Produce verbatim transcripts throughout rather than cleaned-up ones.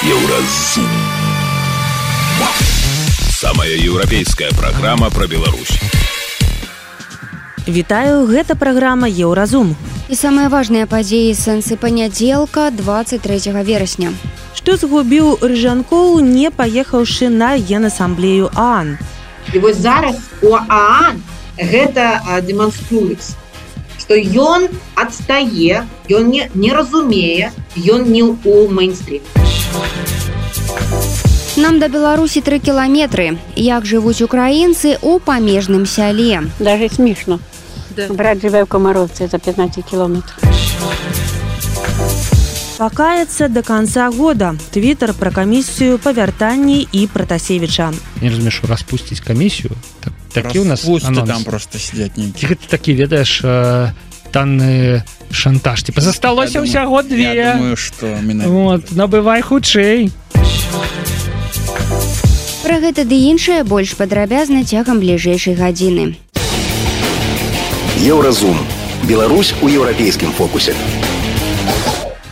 Еўразум. Самая еўрапейская праграма пра Беларусь. Вітаю, гэта праграма Еўразум. І самыя важныя падзеі сэнсы панядзелка двадцать трэцяга верасня. Што згубіў Рыжанкоў, не паехаўшы на Генасамблею ААН. І вось зараз у ААН гэта дэманструецца, што ён адстае, ён не, не разумее, ён не ў мейнстрім. Нам да Беларусі тры кіламетры. Як жывуць украінцы ў памежным сяле? Даже смешно. Да. Брат живе в Комаровці за пятнадцать километров. Пакаецца до конца года. Твиттер про комиссию по вяртанні і Протасевича. Не разумею, що распусціць камісію. Так, такі у нас анонс. Там просто сидять нейкі. Гэта такі, ведаеш, танны шантаж. Типа, засталося ўсяго две. Я думаю, што менавіта. Вот, набывай хутчэй. Пра гэта ды іншае больш падрабязна цягам бліжэйшай гадзіны. Еўразум. Беларусь у еўрапейскім фокусе.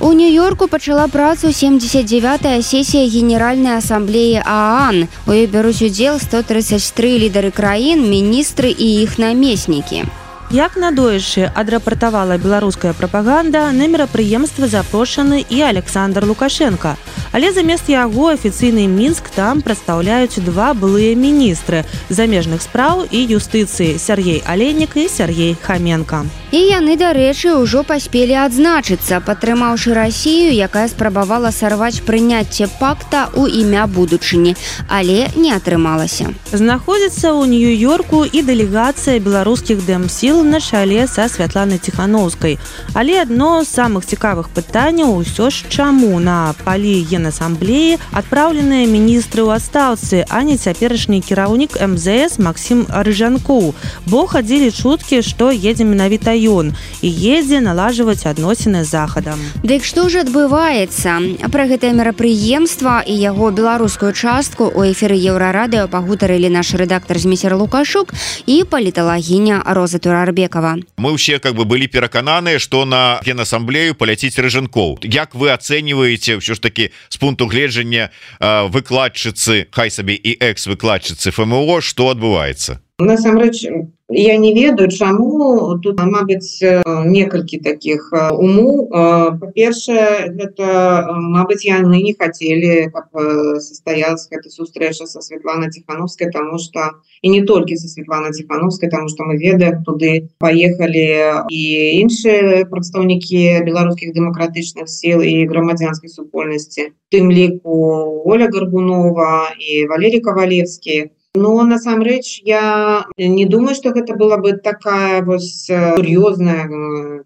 У Нью-Йорку пачала працу семьдесят девятая сесія Генеральнай асамблеі ААН. У ёй бяруць удзел сто тридцать три лідары краін, міністры і іх намеснікі. Як надоечы адрапартавала беларуская прапаганда, на мерапрыемства запрошаны і Александр Лукашенко. Але замест яго афіцыйны Мінск там прадстаўляюць два былыя міністры замежных спраў і юстыцыі Сергей Алейнік і Сергей Хаменко. І яны, дарэчы, ўжо паспелі адзначыцца, падтрымаўшы Расію, якая спрабавала сарваць прыняцце пакта ў імя будучыні, але не атрымалася. Знаходзіцца ў Нью-Йорку і дэлегацыя беларускіх дэмсіл на чале са Святланай Ціханаўскай. Але адно з самых цікавых пытанняў ўсё ж чаму на палі Генасамблеі адпраўленыя міністры ў адстаўцы, а не цяперашні кіраўнік эм зэ эс Максім Рыжанкоў. Бо хадзілі чуткі, што едзе менавіта ён і едзе налажваць адносіны з захадам. Дык што ж адбываецца? Пра гэтае мерапрыемства і яго беларускую частку у эфіры Еўрарадыё пагутарылі наш рэдактар Зміцер Лукашук і паліталагіня Роза Турарбекова. Мы ўсе как бы былі перакананыя, што на Генасамблею паляціць Рыжанкоў. Як вы ацэньваеце ўсё ж такі з пункту гледжання выкладчыцы, хай сабе і экс-выкладчыцы эф эм о, што адбываецца? Насамрэч, я не ведаю, чаму тут, мабыць, некалькі такіх умоў. Па-першае, гэта, мабыць, яны не хацелі, каб состоялась эта сустрэча са Святланай Ціханаўскай, таму што і не толькі са Святланай Ціханаўскай, таму што мы ведаем, туды паехалі і іншыя прадстаўнікі беларускіх дэмакратычных сіл і грамадзянскай супольнасці, тым ліку Оля Гарбунова і Валерій Кавалевскі. Но насамрэч я не думаю, што гэта была бы такая вось сур'ёзная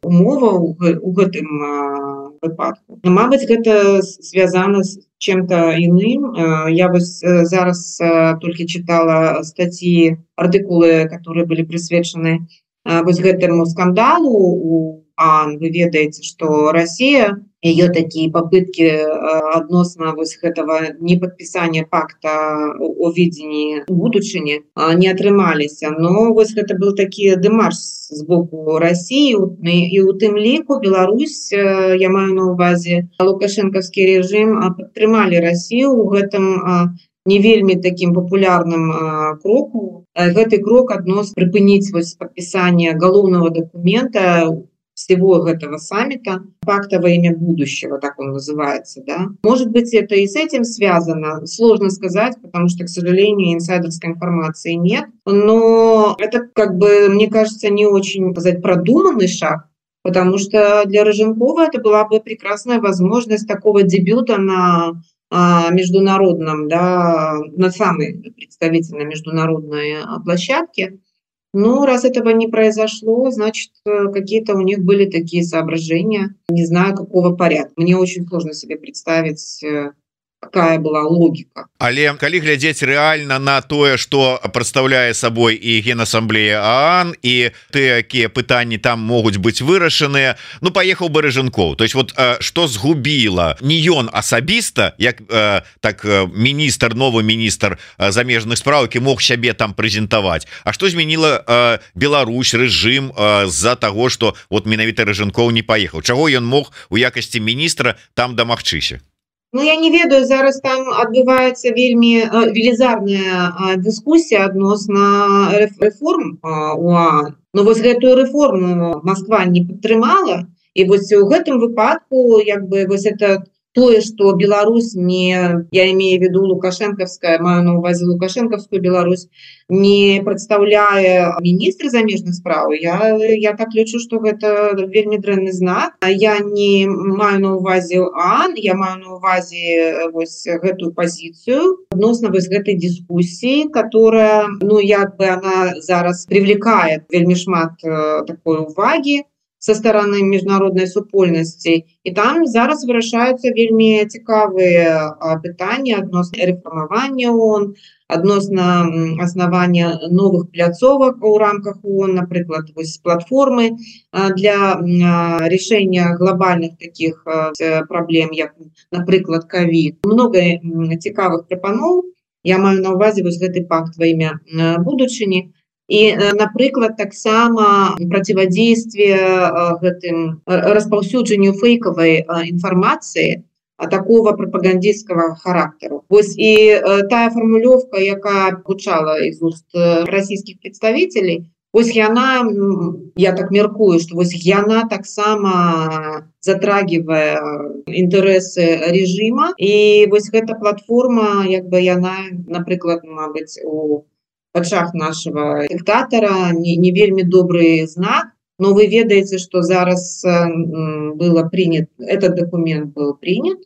умова ў гэтым выпадку. Мабыць, гэта звязана з чым-то іным. Я вось зараз толькі чытала статьи, артыкулы, которые былі прысвечаны вось гэтаму скандалу у ААН. Вы ведаеце, што Расія, ее такие попытки адносна вось гэтага неподписания пакта о видении будучыні не атрымаліся. Но вось гэта был такі дэмарш з боку России, і у тым ліку Беларусь, я маю на увазе лукашэнкаўскі режим, падтрымалі Россию у гэтым не вельмі таким популярным кроку. Гэты крок аднос прыпыніць вось падпісанне галоўнага документа всего этого саммита, пакта во имя будущего, так он называется, да. Может быть, это и с этим связано, сложно сказать, потому что, к сожалению, инсайдерской информации нет, но это, как бы, мне кажется, не очень, сказать, продуманный шаг, потому что для Рыжанкова это была бы прекрасная возможность такого дебюта на международном, да, на самой представительной международной площадке. Но раз этого не произошло, значит, какие-то у них были такие соображения, не знаю, какого порядка. Мне очень сложно себе представить, какая была логика. Але калі глядзець рэальна на тое, што прадстаўляе сабой і Генасамблея ААН, і тыя, якія пытанні там могуць быць вырашаныя, ну паехаў бы Рыжанкоў. То есть вот што згубіла не ён асабіста, як так міністр, новы міністр замежных спраў, які мог сябе там прэзентаваць, а што змяніла Беларусь, рэжым з-за таго, што вот менавіта Рыжанкоў не паехаў. Чаго ён мог у якасці міністра там дамагчыся? Ну, я не ведаю, зараз там адбываецца вельмі велізарная дыскусія адносна рэформ у ААН. Но вось гэтую рэформу Москва не падтрымала, і вось у гэтым выпадку як бы вось это тое, што Беларусь не, я имею в виду лукашэнкаўская, маю на увазе лукашэнкаўскую Беларусь, не прадстаўляе міністр замежных спраў, я, я так лічу, што гэта вельмі дрэнны знак. Я не маю на увазе ААН, я маю на увазе вось гэтую пазіцыю адносна вось гэтай дыскусіі, которая, ну, як бы она зараз привлекает вельмі шмат такой увагі со стороны міжнароднай супольнасці. І там зараз вырашаюцца вельмі цікавыя пытанні адносна рэформавання ООН, адносна аснавання новых пляцовак у рамках ООН, напрыклад, вось платформы для рашэння глобальных таких праблем, як, напрыклад, ковід. Много цікавых прапаноў. Я маю на увазе вось гэты пакт во імя будучыні. І, напрыклад, таксама проциводействие гэтым распаўсюджанню фейковой информации такого пропагандистского характеру. Вось і тая формулёвка, якая гучала из уст российских представителей, вось яна, я так меркую, что вось яна таксама затрагивае интересы режима, і вось гэта платформа, як бы яна, напрыклад, мабыць, у вачах нашего диктатора не, не вельмі добрый знак, но вы ведаете, что зараз было принят, этот документ был принят,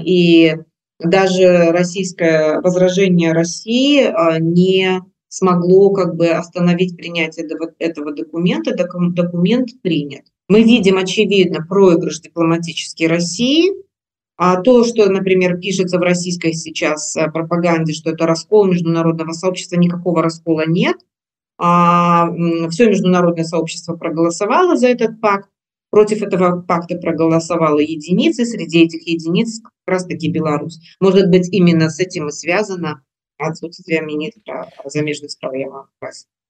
и даже российское возражение России не смогло как бы остановить принятие этого, этого документа. Документ принят. Мы видим, очевидно, проигрыш дипломатический России. А то, что, например, пишется в российской сейчас пропаганде, что это раскол международного сообщества, никакого раскола нет. А, все международное сообщество проголосовало за этот пакт. Против этого пакта проголосовала единицы. Среди этих единиц как раз-таки Беларусь. Может быть, именно с этим и связано отсутствие министра замежных справ.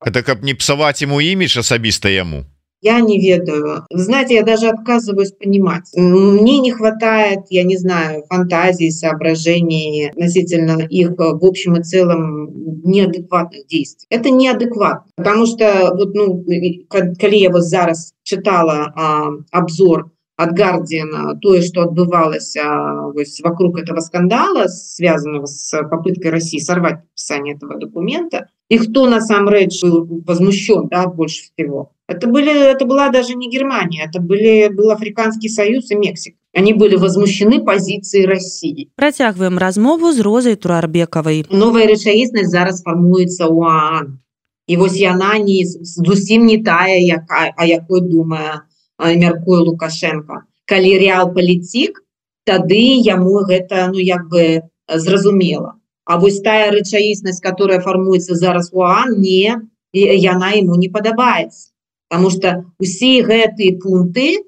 Это как не псовать ему имидж особисто ему? Я не ведаю. Знаете, я даже отказываюсь понимать. Мне не хватает, я не знаю, фантазии, соображений относительно их в общем и целом неадекватных действий. Это неадекватно, потому что вот, ну, когда я вот зараз читала а, обзор от Гардиана, то, что отбывалось а, вокруг этого скандала, связанного с попыткой России сорвать подписание этого документа, и кто на самом деле был возмущен, да, больше всего. Это, были, это была даже не Германия, это были, был Африканский Союз и Мексика. Они были возмущены позицией России. Працягваем размову з Розай Турарбекавай. Новая рэчаіснасць зараз фармуецца ў ААН. І вось яна не, зусім не тая, яка, а якой думае, мяркуе Лукашенко. Калі рэал-палітик, тады яму гэта, ну, як бы зразумела. А вось тая рэчаіснасць, которая фармуецца зараз у ААН, не, яна ему не падабаецца. Потому что усе гэтыя пункты,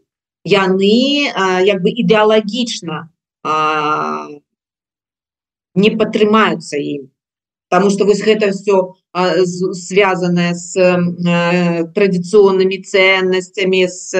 яны а, як бы ідэалагічна а, не падтрымаюцца ім. Потому что вось гэта все а, связанное с а, традиционными ценностями, с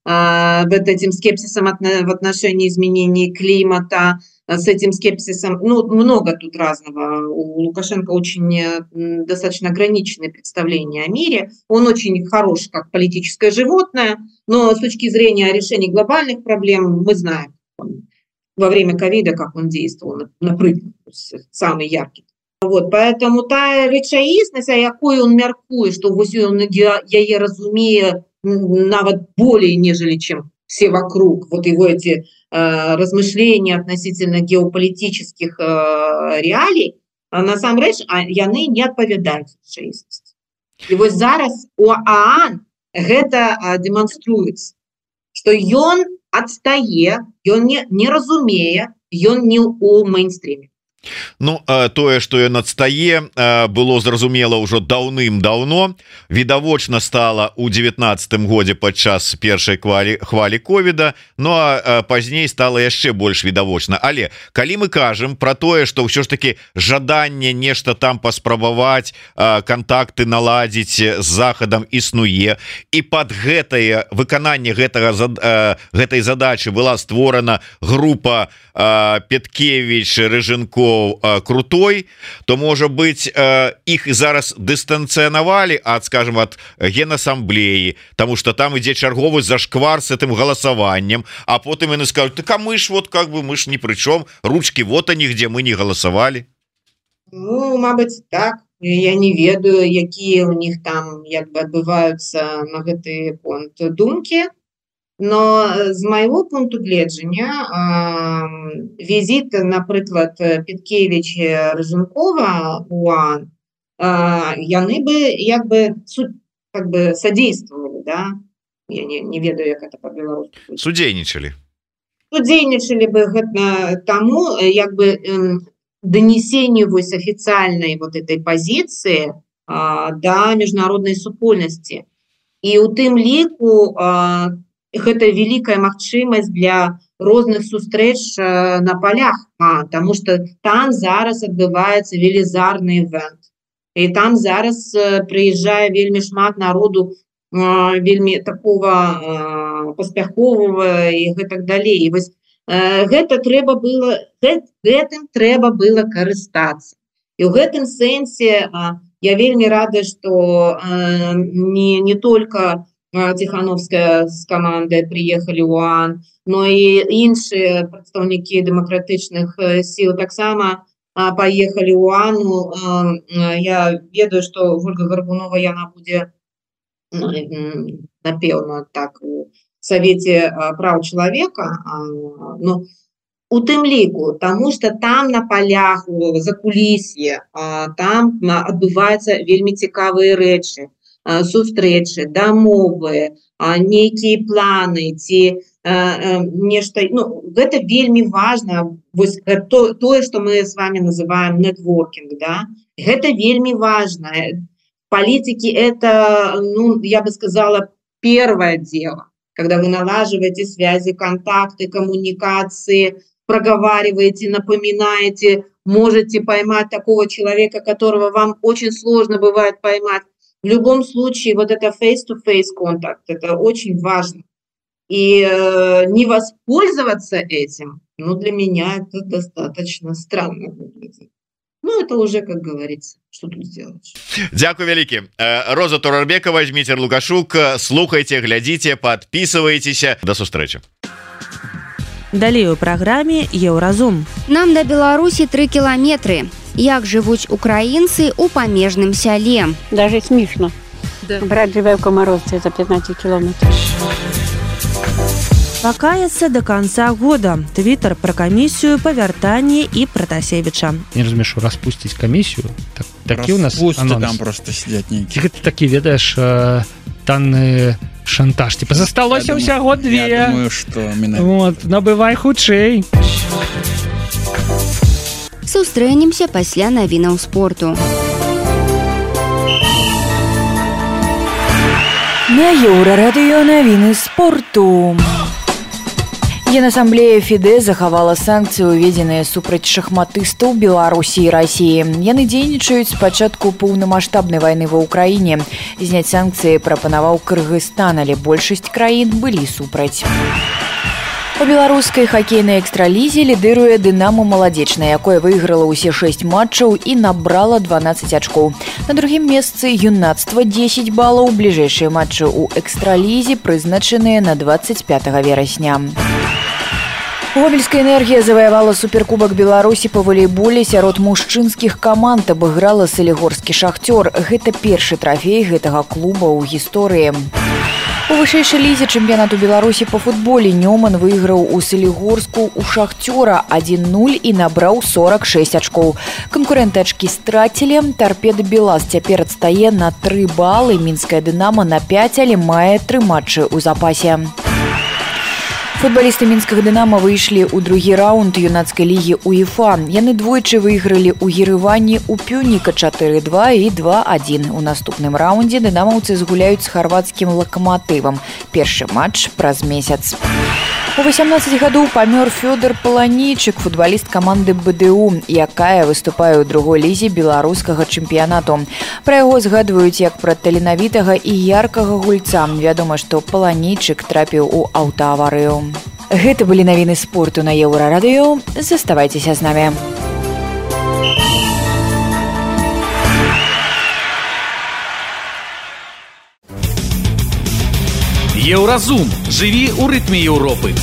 а, вот этим скепсисом от, в отношении изменений климата, с этим скепсисом, ну, много тут разного. У Лукашенко очень достаточно ограниченное представление о мире. Он очень хорош как политическое животное, но с точки зрения решения глобальных проблем мы знаем во время ковида, как он действовал, например, самый яркий. Вот, поэтому та рэчаіснасць, а якой он мяркуе, что вось он яе разумее нават более, нежели чем все вокруг, вот его эти э, размышления относительно геополитических э, реалий, а насамрэч яны не адпавядаюць рэчаіснасці. І вось зараз у ААН гэта э, дэманструецца, што ён адстае, ён не, не разумее, ён не ў мейнстріме. Ну тое что ён адстае было зразумела ўжо даўным-даўно, відавочна стала ў девятнаццатым годзе падчас першай хвалі хвалі ковіда. Ну а пазней стала яшчэ больш відавочна. Але калі мы кажам про тое что ўсё ж таки жаданне нешта там паспрабаваць, контакты наладзіць з захадам існуе, і под гэтае выкананне гэтага гэтай задачи была створана група Петкевич, Рыженков, Крутой, то можа быть іх зараз дыстанцыянавалі ад, скажем, от Генассамблеі, тому что там ідзе чарговы зашквар с этим галасаваннем, а потым яны скажут: так а мы ж вот как бы мы ж ни пры чём, ручки вот они, где мы не галасавалі. Ну, мабыць, так. Я не ведаю, якія у них там як бы адбываюцца на гэты понт думкі. Но з майго пункту гледжання візіт, напрыклад, Петкевича, Рыженкова у ОАН, яны бы як бы как бы содействовали, да? Я не, не ведаю, як это по-беларуску. Судзейнічалі. Судзейнічалі бы гэта таму як бы донесению вось официальной вот этой позиции да міжнароднай супольнасці. І у тым ліку гэта великая магчымасць для розных сустрэч на полях, а, тому что там зараз адбываецца велізарны івент. І там зараз прыязджае вельмі шмат народу, вельмі такого паспяховага і гэтак далей. І вось гэта трэба было, гэтым трэба было карыстацца. І ў гэтым сэнсе я вельмі рада, што не, не только Тихановская с командой приехали в ОАН, но и іншыя прадстаўнікі дэмакратычных сил таксама поехали в ОАН. Я ведаю, что Ольга Горбунова яна будзе, напэўна, так у Совете прав человека, но у тым ліку, тому что там на полях, за кулісье, там адбываюцца вельмі цікавыя рэчы. Сустрэчы, дамовы, нейкія планы ці нешта, ну, гэта вельмі важна. Вось то, тое, што мы с вами называем нетворкинг, да? Гэта вельмі важно. Политики это, ну, я бы сказала, первое дело, когда вы налаживаете связи, контакты, коммуникации, проговариваете, напоминаете, можете поймать такого человека, которого вам очень сложно бывает поймать. В любом случае, вот это face-to-face контакт, это очень важно. И э, не воспользоваться этим, ну, для меня это достаточно странно выглядит. Ну, это уже, как говорится, что тут сделаешь. Дякую вялікі. Роза Турарбекова, Дміцер Лукашук. Слухайте, глядите, подписывайтесь. До сустрэчы. Далей у праграме Еўразум. Нам да Беларусі тры кіламетры. Як жывуць украінцы ў памежным сяле? Даже смешно. Да. Брат живе в Комаровце за пятнадцать километров. Покаяться до конца года. Твиттер про комиссию по вяртанні і Протасевича. Не разумею, распустить комиссию. Так, такі у нас анонс. Там просто сидят некие. Ты такі ведаешь танны шантаж. Типа засталося ўсяго две. Я думаю, что менавіта. Вот, набывай хутчэй. Сустрэнемся пасля навінаў спорту. На Еўрарадыё навіны спорту. Генассамблея ФІДЭ захавала санкцыі, уведзеныя супраць шахматыстаў Беларусі і Расіі. Яны дзейнічаюць з пачатку поўнамаштабнай вайны ва ўкраіне. Зняць санкцыі прапанаваў Кыргызстан, але большасць краін былі супраць. У беларускай хакейнай экстралізе лідыруе «Дынамо» Маладзечная, якое выйграла ўсе шэсць матчаў і набрала дванаццаць ачкоў. На другім месцы юнацтва дзесяць балаў. Бліжэйшыя матчы ў экстралізе прызначаныя на дваццаць пятага верасня. Гомельская энергія заваявала суперкубак Беларусі па волейболе сярод мужчынскіх каманд, абыграла салігорскі шахцёр. Гэта першы трафей гэтага клуба ў гісторыі. У вышэйшай лізе чэмпіянату Беларусі па футболе Нёман выйграў у Салігорску у шахцёра адзін нуль і набраў сорак шэсць ачкоў. Канкурэнты ачкі страцілі. Торпеда Белаз цяпер адстае на тры балы. Мінская Дынамо на пяць, але мае тры матчы ў запасе. Футбалісты мінскага «Дынама» выйшлі ў другі раунд юнацкай лігі УЕФА. Яны двойчы выйгралі ў Ерэвані ў Пюніка чатыры два і два адзін. У наступным раундзе дынамаўцы згуляюць з харвацкім «Лакаматывам». Першы матч праз месяц. У васямнаццаць гадоў памёр Фёдор Паланейчык, футбаліст каманды БДУ, якая выступае ў другой лізе беларускага чэмпіянату. Пра яго згадваюць як пра таленавітага і яркага гульца. Вядома, што Паланейчык трапіў у аўтааварыю. Гэта былі навіны спорту на Еўрарадыё. Заставайцеся з намі. Еўразум. Жыві ў рытме Еўропы.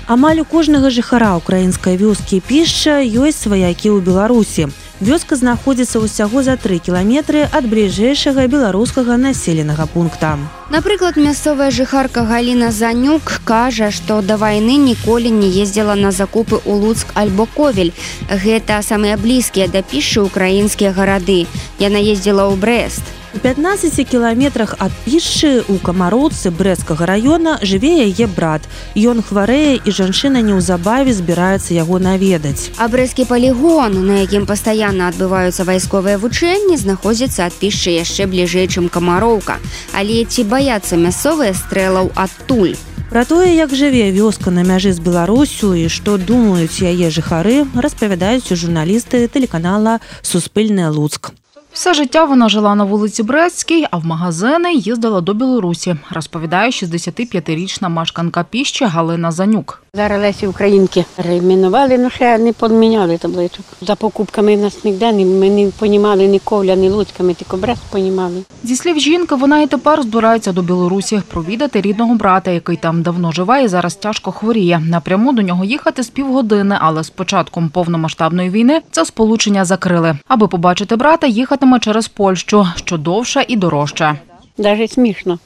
Амаль у кожнага жыхара украінскай вёскі Пішча ёсць сваякі ў Беларусі. Вёска знаходзіцца ўсяго за тры кіламетры ад бліжэйшага беларускага населенага пункта. Напрыклад, мясцовая жыхарка Галіна Занюк кажа, што да вайны ніколі не ездзіла на закупы ў Луцк альбо Ковель. Гэта самыя блізкія да Пішчы украінскія гарады. Яна ездзіла ў Брэст. У пятнаццаці кіламетрах ад Пішчы у Камароўцы Брэсцкага раёна жыве яе брат. Ён хварэе, і жанчына неўзабаве збіраецца яго наведаць. А брэсцкі палігон, на якім пастаянна адбываюцца вайсковыя вучэнні, знаходзіцца ад Пішчы яшчэ бліжэй, чым Камароўка. Але ці баяцца мясцовыя стрэлаў адтуль? Пра тое, як жыве вёска на мяжы з Беларусю і што думаюць яе жыхары, распавядаюць журналісты тэлеканала «Суспільне Луцк». Все життя вона жила на вулиці Брестській, а в магазини їздила до Білорусі, розповідає шістдесятип'ятирічна мешканка Піщі Галина Занюк. Зараз Лесі Українки перейменували, але ще не поміняли табличок. За покупками в нас ніде, ми не розуміли ні Ковля, ні Луцька, ми тільки Брест розуміли. Зі слів жінки, вона і тепер збирається до Білорусі провідати рідного брата, який там давно живе і зараз тяжко хворіє. Напряму до нього їхати з півгодини, але з початком повномасштабної війни це сполучення закрили. Аби побачити брата, їхатиме через Польщу, що довше і дорожче. Навіть смішно.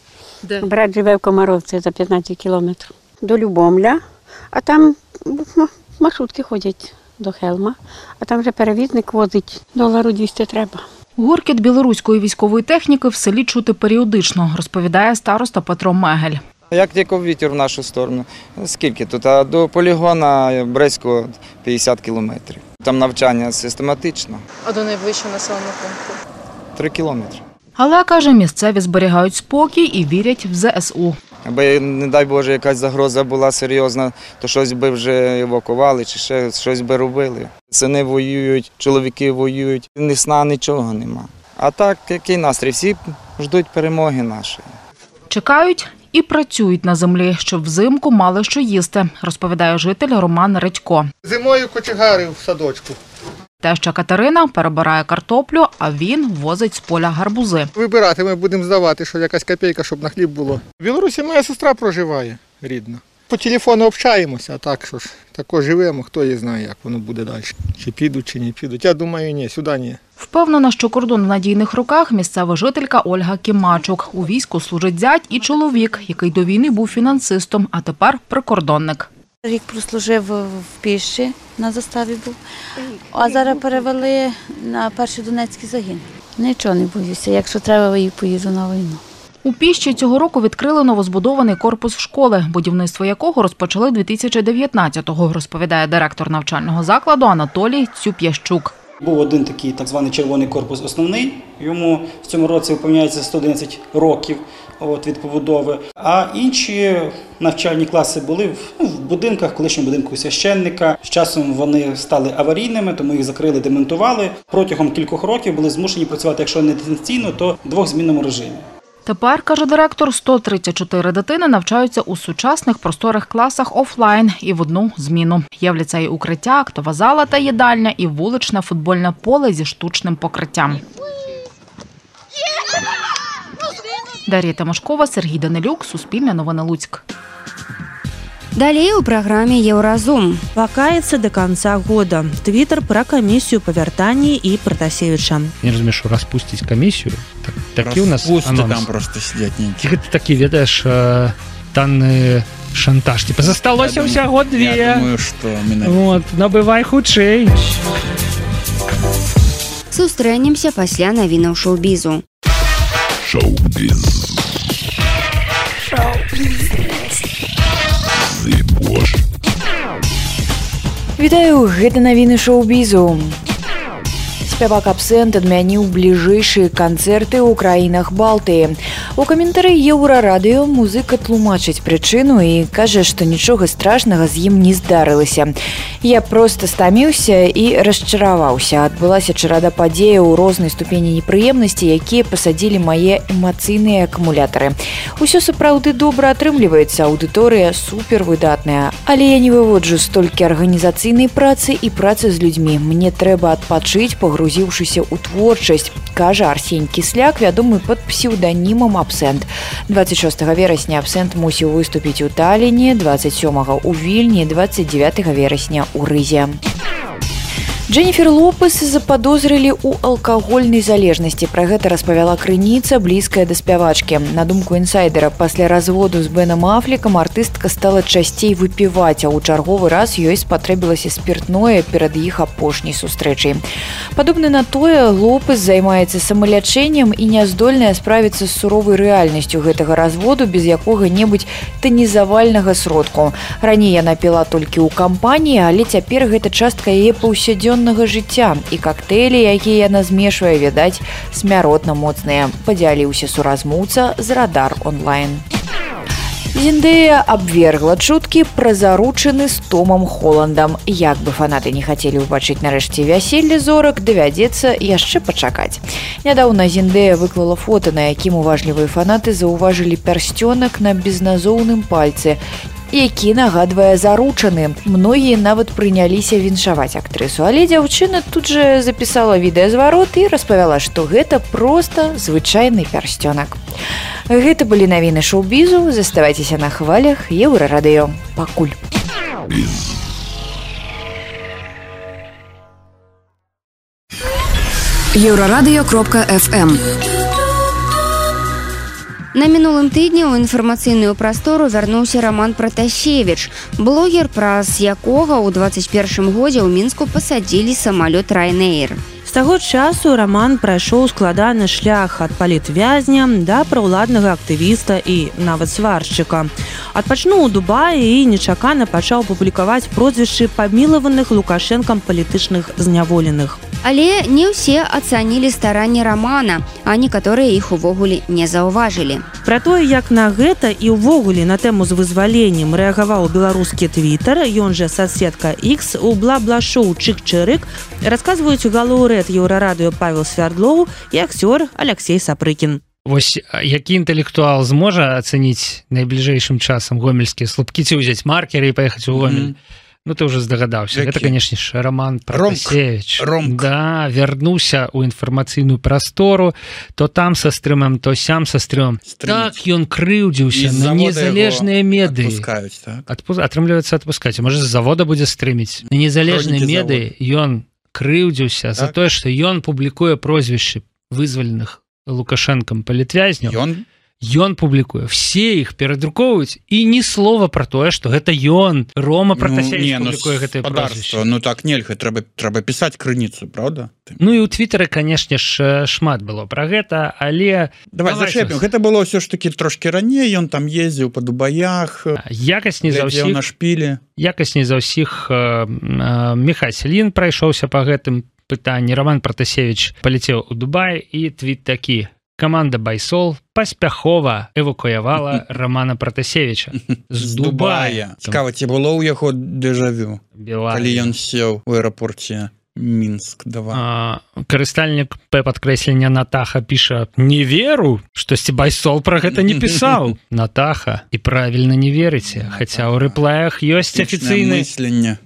Де? Брат живе в Комаровці за п'ятнадцять кілометрів. До Любомля. А там маршрутки ходять до Хелма, а там вже перевізник возить, долару двісті треба. Гуркіт білоруської військової техніки в селі чути періодично, розповідає староста Петро Мегель. Як тільки вітер в нашу сторону, скільки тут? А до полігона Брестського п'ятдесят кілометрів. Там навчання систематично. А до найближчого населеного пункту? Три кілометри. Але, каже, місцеві зберігають спокій і вірять в зе ес у. Аби, не дай Боже, якась загроза була серйозна, то щось би вже евакували чи ще щось би робили. Сини воюють, чоловіки воюють, ні сна, нічого нема. А так, який настрій? Всі ждуть перемоги нашої. Чекають і працюють на землі, щоб взимку мали що їсти, розповідає житель Роман Редько. Зимою кочегари в садочку. Теща Катерина перебирає картоплю, а він возить з поля гарбузи. Вибирати ми будемо здавати, що якась копійка, щоб на хліб було. В Білорусі моя сестра проживає, рідна. По телефону общаємося, а так що ж, тако живемо, хто її знає, як воно буде далі. Чи підуть, чи не підуть. Я думаю, ні, сюди ні. Впевнена, що кордон в надійних руках місцева жителька Ольга Кімачук. У війську служить зять і чоловік, який до війни був фінансистом, а тепер прикордонник. Рік прослужив в Піші, на заставі був, а зараз перевели на перший Донецький загін. Нічого не боюся, якщо треба, я поїду на війну. У Піщі цього року відкрили новозбудований корпус школи, будівництво якого розпочали дві тисячі дев'ятнадцятого, розповідає директор навчального закладу Анатолій Цюп'ящук. Був один такий так званий червоний корпус основний, йому в цьому році виповняється сто одинадцять років от, від побудови. А інші навчальні класи були в, ну, в будинках, колишньому будинку священника. З часом вони стали аварійними, тому їх закрили, демонтували. Протягом кількох років були змушені працювати, якщо не дистанційно, то в двохзмінному режимі. Тепер, каже директор, сто тридцять чотири дитини навчаються у сучасних просторих класах офлайн і в одну зміну. Є в ліцеї укриття, актова зала та їдальня і вуличне футбольне поле зі штучним покриттям. Дар'я Тимошкова, Сергій Данилюк, Суспільне новини Луцьк. Далее у программе «Еўразум». Вакаецца до конца года. Твиттер про комиссию по вяртанні и Протасевича. Не разумею, что распустить комиссию. Так, такі у нас анонс. Там просто сидять нейкі. Ты такі ведаеш э, танны шантаж. Типа засталося ўсяго две. Я думаю, что менавіта. Вот, набывай хутчэй. Сустрэнемся пасля навінаў шоу-бізу. Шоу-біз. Шоу-біз. Вітаю, гэта навіны шоу-бізу. Спявак Абсент адмяніў бліжэйшыя канцэрты ў краінах Балтыі. У каментары Еўрарадыё музыка тлумачыць прычыну і кажа, што нічога страшнага з ім не здарылася. Я проста стаміўся і расчараваўся. Адбылася чарада падзеяў у рознай ступені непрыемнасці, якія пасадзілі мае эмацыйныя акумулятары. Усё сапраўды добра атрымліваецца, аўдыторыя супервыдатная. Але я не выводжу столькі арганізацыйнай працы і працы з людзьмі. Мне трэба адпачыць, пагрузіўшыся ў творчасць, кажа Арсень Кісляк, вядомы пад псеўданімам Абсент. дваццаць шостага верасня Абсент мусіў выступіць у Таліне, дваццаць сёмага ў Вільні, дваццаць дзевятага верасня ў Рызе. Дженніфер Лопес заподозрили у алкагольнай залежнасці. Пра гэта распавяла крыніца, блізкая да спявачкі. На думку інсайдера, пасля разводу з Бенам Афлекам артыстка стала часцей выпіваць, а ў чарговы раз ёй спатрэбілася спіртное перад іх апошняй сустрэчай. Падобна на тое, Лопес займаецца самалячэннем і няздольная справіцца з суровай рэальнасцю гэтага разводу без якога-небудзь танізавальнага сродку. Раней яна піла толькі ў кампаніі, але цяпер гэта частка яе паўсядзённага жыцця, і коктейлі, якія яна змешвае, відаць, смяротна моцныя, падзяліўся суразмоўца з Радар онлайн. Зендэя абвергла чуткі пра заручыны з Томам Холландам. Як бы фанаты не хацелі ўбачыць нарэшце вяселле зорак, давядзецца яшчэ пачакаць. Нядаўна Зендэя выклала фота, на якім уважлівыя фанаты заўважылі пярсцёнак на безназоўным пальцы, які нагадвае заручаны. Многія нават прыняліся віншаваць актрысу, але дзяўчына тут жа запісала відэазварот і распавяла, што гэта проста звычайны пярсцёнак. Гэта былі навіны шоу-бізу. Заставайцеся на хвалях Еўрарадыё. Пакуль. еўрарадыё кропка эф эм. На мінулым тыдні ў інфармацыйную прастору вярнуўся Роман Пратасевіч, блогер, праз якога ў дваццаць першым годзе ў Мінску пасадзілі самалёт Ryanair. З таго часу Роман прайшоў складаны шлях ад палітвязня да праўладнага актывіста і нават сваршчыка. Адпачнуў у Дубаі і нечакана пачаў публікаваць прозвішчы памілаваных Лукашэнкам палітычных зняволеных. Але не ўсе ацанілі старанні Романа, а некаторыя іх увогуле не заўважылі. Пра тое, як на гэта і ўвогуле на тэму з вызваленнем рэагаваў беларускі твітар, ён жа соцсетка X, у бла-бла-шоу «Чык-чырык» расказваюць галоўрэд Еўрарадыё Павел Свярдлоў і акцёр Алексей Сапрыкін. Вось які інтэлектуал зможа ацаніць найбліжэйшым часам гомельскія слупкі, ці ўзяць маркеры і паехаць у Гомель? Ну, ты уже здагадаўся. Гэта, конечно ж, Роман Пратасевіч. Да, вярнуўся ў інфармацыйную прастору, то там са стрымам, то сям са стрымам. Так ён крыўдзіўся на незалежныя медыі. Адпускаюць, так? Адпу... Атрымліваецца адпускаць. Можа, з завода будзе стрыміць. На незалежныя медыі ён крыўдзіўся так? за тое, што ён публікуе прозвішчы вызваленых Лукашэнкам палітвязняў. Ён? Ён публікуе, все іх перадрукоўваюць і ні слова пра тое, што гэта ён, Рома Пратасевіч ну, публікуе ну, гэтае прозвішча. Ну так нельга, трэба, трэба пісаць крыніцу, правда? Ну і ў твітары, канешне ж, шмат было пра гэта, але... Давай, Давай зачэпім, гэта было ўсё ж такі трошкі раней, ён там ездзіў па Дубаях, якасць не за ўсіх, на шпілі. Якасць не за ўсіх э, э, Міхась Лін прайшоўся па гэтым пытанні, Роман Пратасевіч паляцеў у Дубай і твіт такі: каманда Байсол паспяхова эвакуявала Романа Пратасевіча з Дубая. Цікава, ці было ў яго дэжавю, калі ён сеў у аэрапорце Мінск два. Карыстальнік П падкрэслення Натаха піша: не веру, штосьці Байсол пра гэта не пісаў. Натаха, і правільна не верыце, хаця ў рэплаях ёсць афіцыйны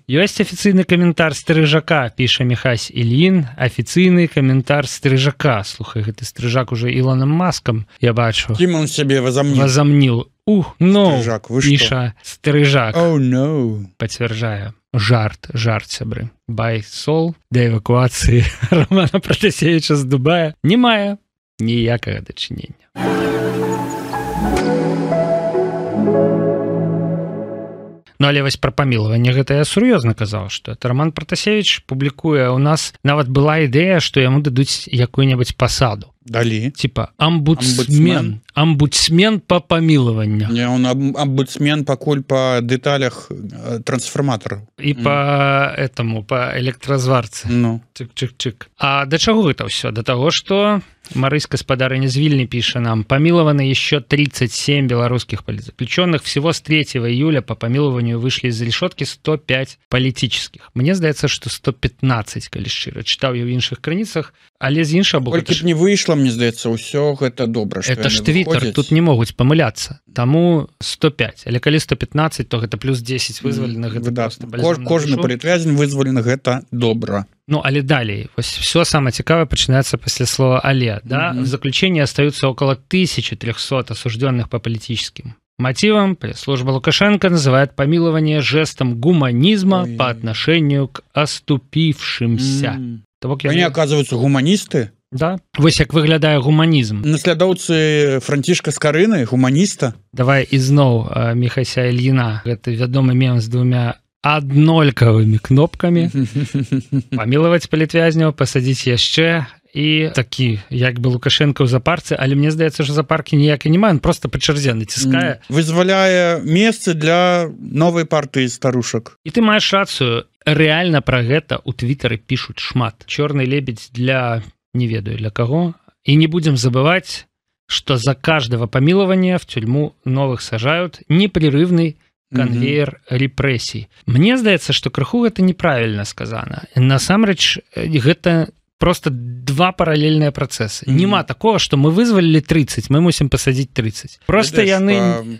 ёсць афіцыйны каментар Стрыжака, піша Міхась Ілін, афіцыйны каментар Стрыжака. Слухай, гэты Стрыжак уже Ілоном Маскам, я бачу. Кім он сябе возомнил? Возомнил. Ух, ну, Стрыжак, вы піша Стрыжак. Oh, no. Пацвярджае. Жарт, жарт, сябры. Байсол да эвакуацыі Романа Пратасевіча з Дубая не мае ніякага дачынення. Ну але вось пра памілаванне гэта я сур'ёзна казаў, што это Роман Пратасевич публікуе, у нас нават была ідэя, што яму дадуць якую-небудзь пасаду. Далі. Типа амбудсмен. Амбудсмен по памілаванню. Не, он амбудсмен пакуль по дэталях трансформатараў. І mm. по этому, по электразварцы. Ну. Чык-чык-чык. А да чаго гэта ўсё? Да таго, што Марысь Гаспадарыня з Вільні піша нам: помилованы еще тридцать семь белорусских политзаключенных. Всего с третьего июля по помилованию вышли из решетки сто пять политических. Мне здаецца, что сто пятнадцать, калі шчыра. Чытаў я ў іншых крыніцах, але з іншага боку... Колькі б не выйшла, мне здаецца, ўсё гэта добра, што это ж Твиттер, тут не могуць памыляцца. Таму сто пять. Але калі сто пятнадцать, то гэта плюс десять вызваленых. Mm, гэта кожны палітвязень вызвалены, гэта добра. Ну, але далей, все самое цікавое начинается после слова «але». Да? Mm-hmm. В заключении остаются около тысячи трёхсот осужденных по политическим мотивам. Пресс-служба Лукашенко называет помилование жестом гуманизма Ой. по отношению к оступившимся. Mm-hmm. Того, Они, я... оказываются, гуманисты? Да. Вось як выглядае гуманізм. Наслядоўцы Францішка Скарыны, гуманіста. Давай ізноў Міхася Ільіна. Гэта вядомы мем з двумя аднолькавымі кнопкамі. Памілаваць палітвязняў, пасадзіць яшчэ. І такі, як бы Лукашенко ў запарцы, але мне здаецца, што запаркі ніякай няма, он просто па чарзе націскае. Вызваляе месцы для новай партыі старушак. І ты маеш рацыю, рэальна пра гэта ў Твиттары пішуць шмат. Чорны лебедь для... не ведаю для кого. И не будем забывать, что за каждого помилования в тюрьму новых сажают непрерывный конвейер mm-hmm. репрессий. Мне здаецца, что крыху гэта неправильно сказано. Насамрэч, гэта просто два параллельные процессы. Mm-hmm. Нема такого, что мы вызвалили тридцать, мы мусим посадить тридцать. Просто яны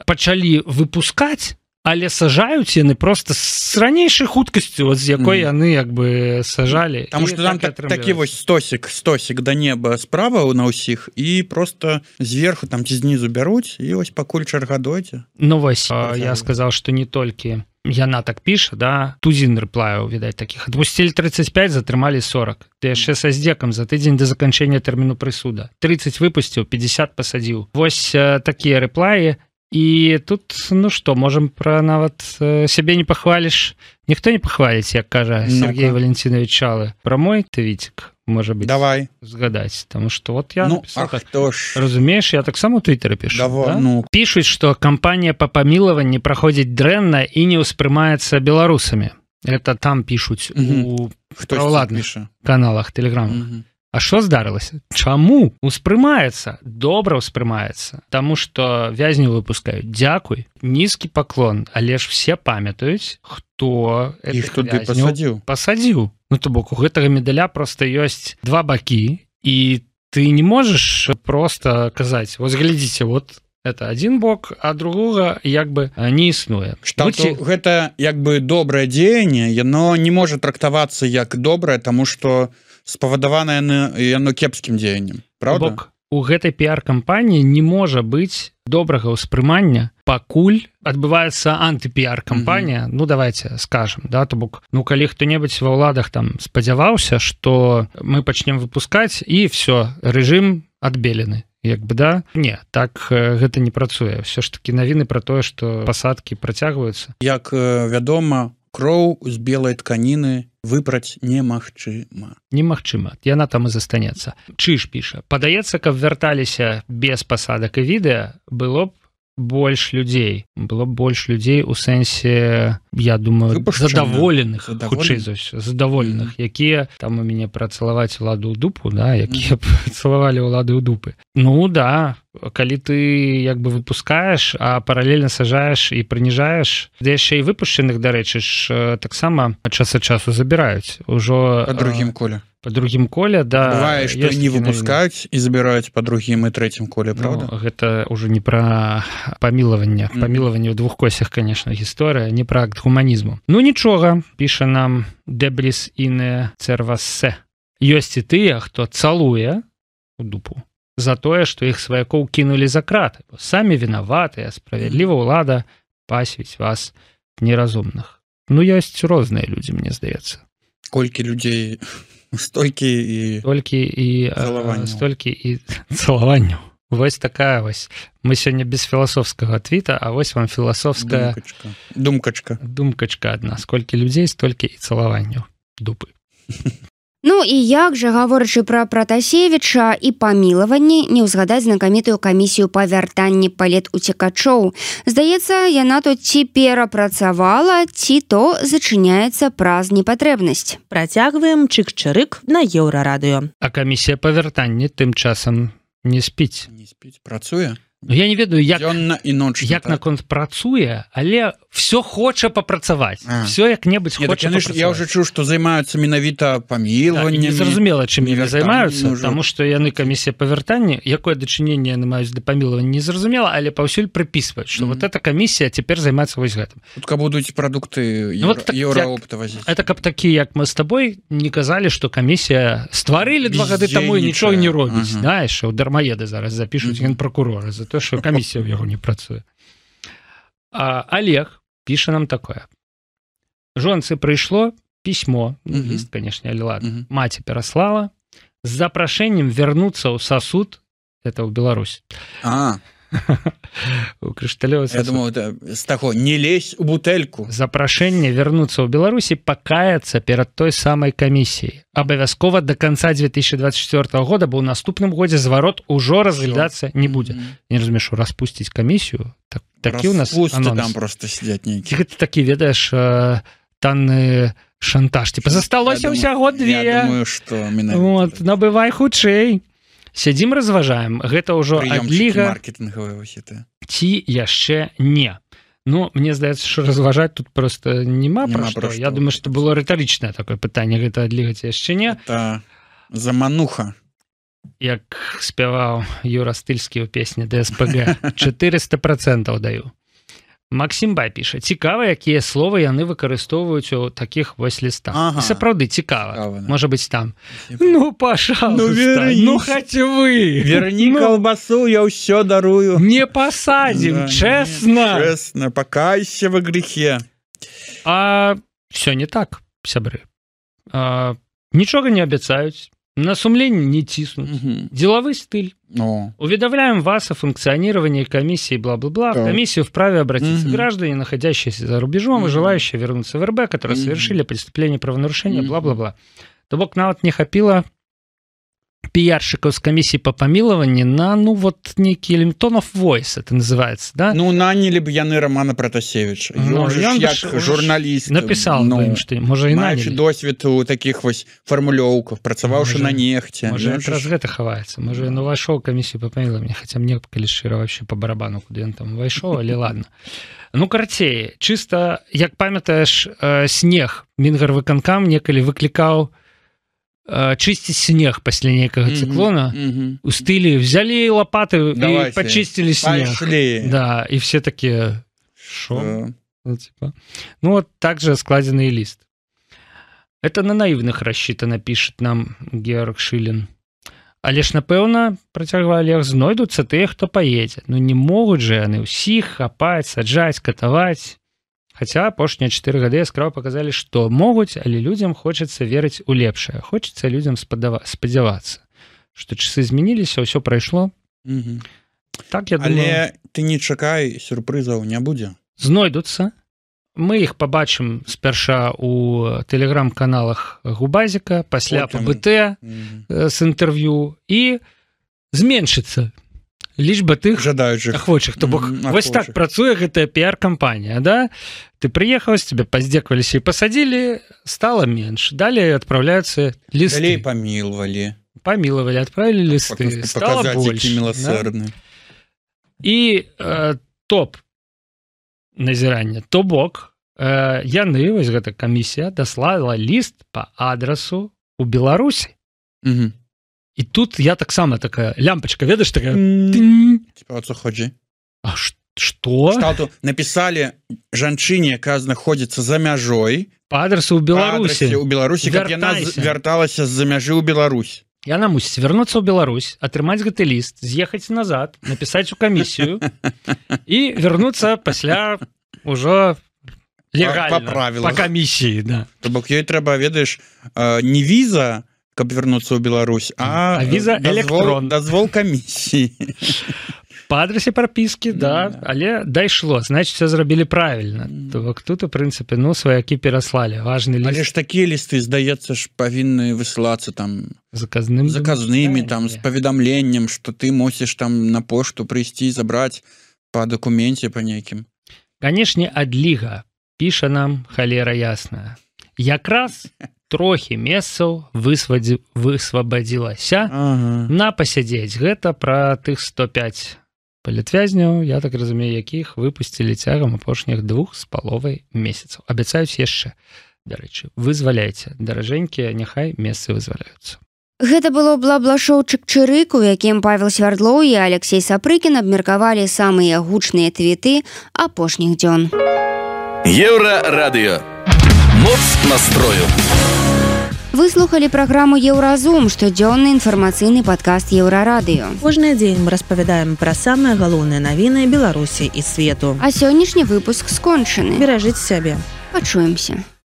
пачалі выпускать, але сажаюць яны просто с ранейшай хуткасцю, з якой яны як бы сажалі. Таму што там так, такі вось стосік, стосік да неба справа на ўсіх, і просто зверху там ці знізу бяруць, і вось пакуль чарга дойдзе. Ну вось, я сказал, што не толькі яна так піша, да, тузін рэплаяў, відаць, такіх. Адпусцілі тридцать пять, затрымалі сорок. Ты яшчэ са здзекам за тыдзень да заканчэння тэрміну прысуда. тридцать выпусціў, пятьдесят пасадзіў. Вось такія рэплаі. И тут, ну что, можем про нават себе не похвалишь. Никто не похвалить, як кажа Сергей ну-ка. Валентинович Чалы. Про мой твитик, может быть, давай згадать. Потому что вот я ну, написал так. Ж... Разумеешь, я так само в Твиттере пишу. Давай, да? ну. Пишут, что кампания по помилованию проходит дрэнна и не успрымается белорусами. Это там пишут угу. у праволадных каналах Телеграма. Угу. А що здарылася? Чаму? Успрымаецца, добра ўспрымаецца. Таму што вязню выпускаюць. Дзякуй, нізкі паклон, але ж все памятаюць, хто іх туды пасадзіў. Пасадзіў. Ну то бок у гэтага медаля просто ёсць два бакі, і ты не можаш просто казаць: вось глядзіце, вот это один бок, а другога як бы не існуе. Будьте... Гэта як бы добрае дзеянне, яно не можа трактавацца як добрае, таму што спавадаванае яно кепскім дзеяннем, правда? Бок у гэтай піар-кампаніі не можа быць добрага ўспрымання, пакуль адбываецца анты-піар-кампанія. Mm-hmm. Ну давайте скажем, да, то бок, ну калі хто-небудзь ва ўладах там спадзяваўся, што мы пачнем выпускаць і все, рэжым адбелены. Як бы да, не, так гэта не працуе. Все ж таки навіны пра тое, што пасадкі працягваюцца. Як вядома, кроў з белай тканіны выпраць немагчыма. Немагчыма, яна там і застанецца. Чыж піша: падаецца, каб вярталіся без пасадак і відэа, было б больш людзей. Было б больш людзей у сэнсе, я думаю, задаволеных, хутчэй за ўсё, задаволеных, mm-hmm. якія там у мяне працалаваць уладу ў дупу, да, якія mm-hmm. цалавалі ўлады ў дупы. Ну да, калі ты як бы выпускаеш, а паралельна сажаеш і прыніжаеш, да яшчэ і выпушчаных, дарэчы, ж таксама час ад часу забіраюць. Ужо па другім коле. По другім коле, да. Бывае, што не выпускаюць і забіраюць па другім і трэцім коле, правда? Ну, гэта ўжо не пра памілаванне. Mm-hmm. Памілаванне ў двух косях, конечно, гісторыя, не пра акт гуманізму. Ну нічога, піша нам Дебрис Ине Цервасе. Ёсць і тыя, хто цалуе у дупу за тое, што іх сваякоў кінулі за краты. Бо самі вінаватыя, справядліва ўлада пасвіць вас неразумных. Ну, ёсць розныя людзі, мне здаецца. Колькі людзей... Столькі і... Столькі і... Цалаванняў. Столькі і цалаванняў. Вось такая вось. Мы сёння без філасофскага твіта, а вось вам філасофская думкачка. Думкачка. Думкачка адна. Сколькі людзей, столькі і цалаванняў. Дупы. Ну і як жа, гаворачы пра Пратасевіча і памілаванні, не ўзгадаць знакамітую камісію па вяртанні палетуцекачоў. Здаецца, яна тут ці перапрацавала, ці то зачыняецца праз непатрэбнасць. Працягваем чык-чырык на Еўрарадыё. А камісія па вяртанні тым часам не спіць. Не спіць, працуе? Ну, я не ведаю, як, і ночна, як так? наконт працуе, але все хоча папрацаваць. Все як-небудзь хоча папрацаваць. Я ўжо чуў, што займаюцца менавіта памілваннямі. Не зразумела, чым яны займаюцца, таму што яны камісія па вяртанні, якое дачыненне яны маюць да памілвання, не зразумела, але паўсюль прыпісваюць, што mm-hmm. вот эта камісія цяпер займаецца вось гэтым. Тут будуць прадукты еўра, ну, вот так, еўраопта вазіць. Это каб такі, як мы з табой, не казалі, што камісія стварылі два гады таму і нічога не робіць. Ага. Знаеш, дармаеды зараз запішуць mm-hmm. генпракурора за то, што камісія ў яго не працуе. А Олег піша нам такое. Жонцы прыйшло пісьмо, ну, uh-huh. ліст, конечно, але ладно, uh-huh. маці пераслала з запрашэннем вярнуцца ў сасуд, это ў Беларусь. А. У крышталёвы сасуд. Я думаю, это з таго, не лезь у бутэльку. Запрашэнне вярнуцца ў Беларусі пакаяцца перад той самай камісіяй. Абавязкова до конца две тысячи двадцать четвёртого года, бо ў наступным годзе зварот ужо разглядацца не будзе. Не разумею, што распусціць камісію. Так, такі у нас анонс. Там просто сидять нейкі. Гэта такі, ведаеш, танны шантаж. Типа, засталося ўсяго две. Я думаю, што менавіта. Вот, набывай хутчэй. Сядзім, разважаем. Гэта ўжо адліга. Маркетингавыя вось-это. Ці яшчэ не. Ну, мне здаецца, што разважаць тут просто няма пра што. Я думаю, што было рытарычнае такое пытанне. Гэта адліга ці яшчэ не. Это замануха. Як спяваў Юра Стыльскі ў песні ДСПГ. четыреста процентов даю. Максим Бай піша. Цікава, якія словы яны выкарыстоўваюць у такіх вось лістах. Ага. Сапраўды цікава. Цікава, да. Можа быць там. Ну, пожалуйста. Ну, верни. Ну, хоть вы. Верни ну, колбасу, я ўсё дарую. Не посадим, да, честно. Не, честно, покайся во грехе. А все не так, сябры. А, нічога не абяцаюць. На сумлении не тиснуть. Угу. Деловой стиль. О. Уведомляем вас о функционировании комиссии бла-бла-бла. В комиссию вправе обратиться угу. граждане, находящиеся за рубежом угу. и желающие вернуться в РБ, которые угу. совершили преступление правонарушения, угу. бла-бла-бла. То бок нават не хапіла пиарщиков с комиссии по помилованию на, ну, вот некий tone of voice, это называется, да? Ну, наняли бы яны Романа Пратасевича. Ну, он же как журналист. Написал ну, бы им, что, может, и наняли. Маючи досвід у таких вось формулёўках, працаваўшы на нехте. Может, это раз гэта хаваецца. Может, он увайшоў в комиссию по помилованию, хотя мне, калі шчыра, вообще по барабану, куды он там увайшоў, але ладно. Ну, карцей, чисто, як памятаеш, э, снег Мінгарвыканкам некалі выклікаў чистить снег после некого mm-hmm, циклона mm-hmm. у стиле взяли лопаты Давайте, и почистили снег. Пошли. Да, и все такие шо? Uh. Ну, типа. Ну вот так же складенный лист. Это на наивных рассчитано, пишет нам Георг Шилин. Але ж, напэўна, працягвае Олег, знойдуцца тыя, хто паедзе. Ну не могуць же яны ўсіх хапаць, саджаць, катаваць. Хотя апошнія чатыры гады яскрава показалі, што могуць, але людзям хочацца верыць у лепшае. Хочацца людзям спадзявацца, што часы змяніліся, ўсё прайшло. Угу. Так, я але думаю... ты не чакай, сюрпрызаў не будзе. Знойдуцца. Мы іх пабачым спярша у тэлеграм-каналах Губазіка, пасля па бэ тэ угу. з інтэрв'ю, і зменшыцца лічба тых жадаючых ахвочых. То бок mm, вось так працуе гэтая піар-кампанія, да? Ты прыехаў, з цябе паздзекаваліся і пасадзілі, стала менш. Далей адпраўляюцца лісты. Далей памілвалі. Памілавалі, адправілі лісты. Стала больш. Да? І э, топ назірання. То бок э, яны, вось гэта камісія, даслала ліст па адрасу у Беларусі. Угу. І тут я таксама такая лямпочка, ведаеш, такая... Типа, о, ходzi? А што? Шталту написали жанчыне, якая знаходзіцца за мяжой. Па адресу ў Беларусі. У Беларусі, каб яна вярталася з-за мяжы ў Беларусь. Яна мусіць вярнуцца ў Беларусь, атрымаць гэты ліст, з'ехаць назад, напісаць у камісію і вярнуцца пасля ўжо легальна. Па правілах. Па камісіі, да. То бок ёй трэба, ведаеш, не віза, каб вярнуцца ў Беларусь, а, а віза электрон дазвол камісіі по адрасе прапіскі, да, да, але дайшло, значит, все зрабілі правильно. То бок тут, у прынцыпе, ну, сваякі пераслалі. Важны ліст. Але ж такія лісты, здаецца ж, павінны высылацца там заказным, заказнымі, там, з паведамленнем, што ты мусіш там на пошту прыйсці, забраць па дакуменце па нейкім. Канешне, адліга піша нам халера ясная. Якраз трохі месцаў высвабадзілася ага. на пасядзець. Гэта пра тых сто пяць палітвязняў, я так разумею, якіх выпусцілі цягам апошніх двух з паловай месяцаў. Абяцаюць яшчэ, дарэчы, вызваляйце, даражэнькія, няхай месцы вызваляюцца. Гэта было бла-бла-шоу Чык-чырык, у якім Павел Свярдлоў і Алексей Сапрыкін абмеркавалі самыя гучныя твіты апошніх дзён. Еўрарадыё. Моц настрою. Вы слухалі праграму «Еўразум», штодзённы інфармацыйны падкаст «Еўрарадыё». Кожны дзень мы распавядаем пра самыя галоўныя навіны Беларусі і свету. А сённяшні выпуск скончаны. Беражыце сябе. Пачуемся.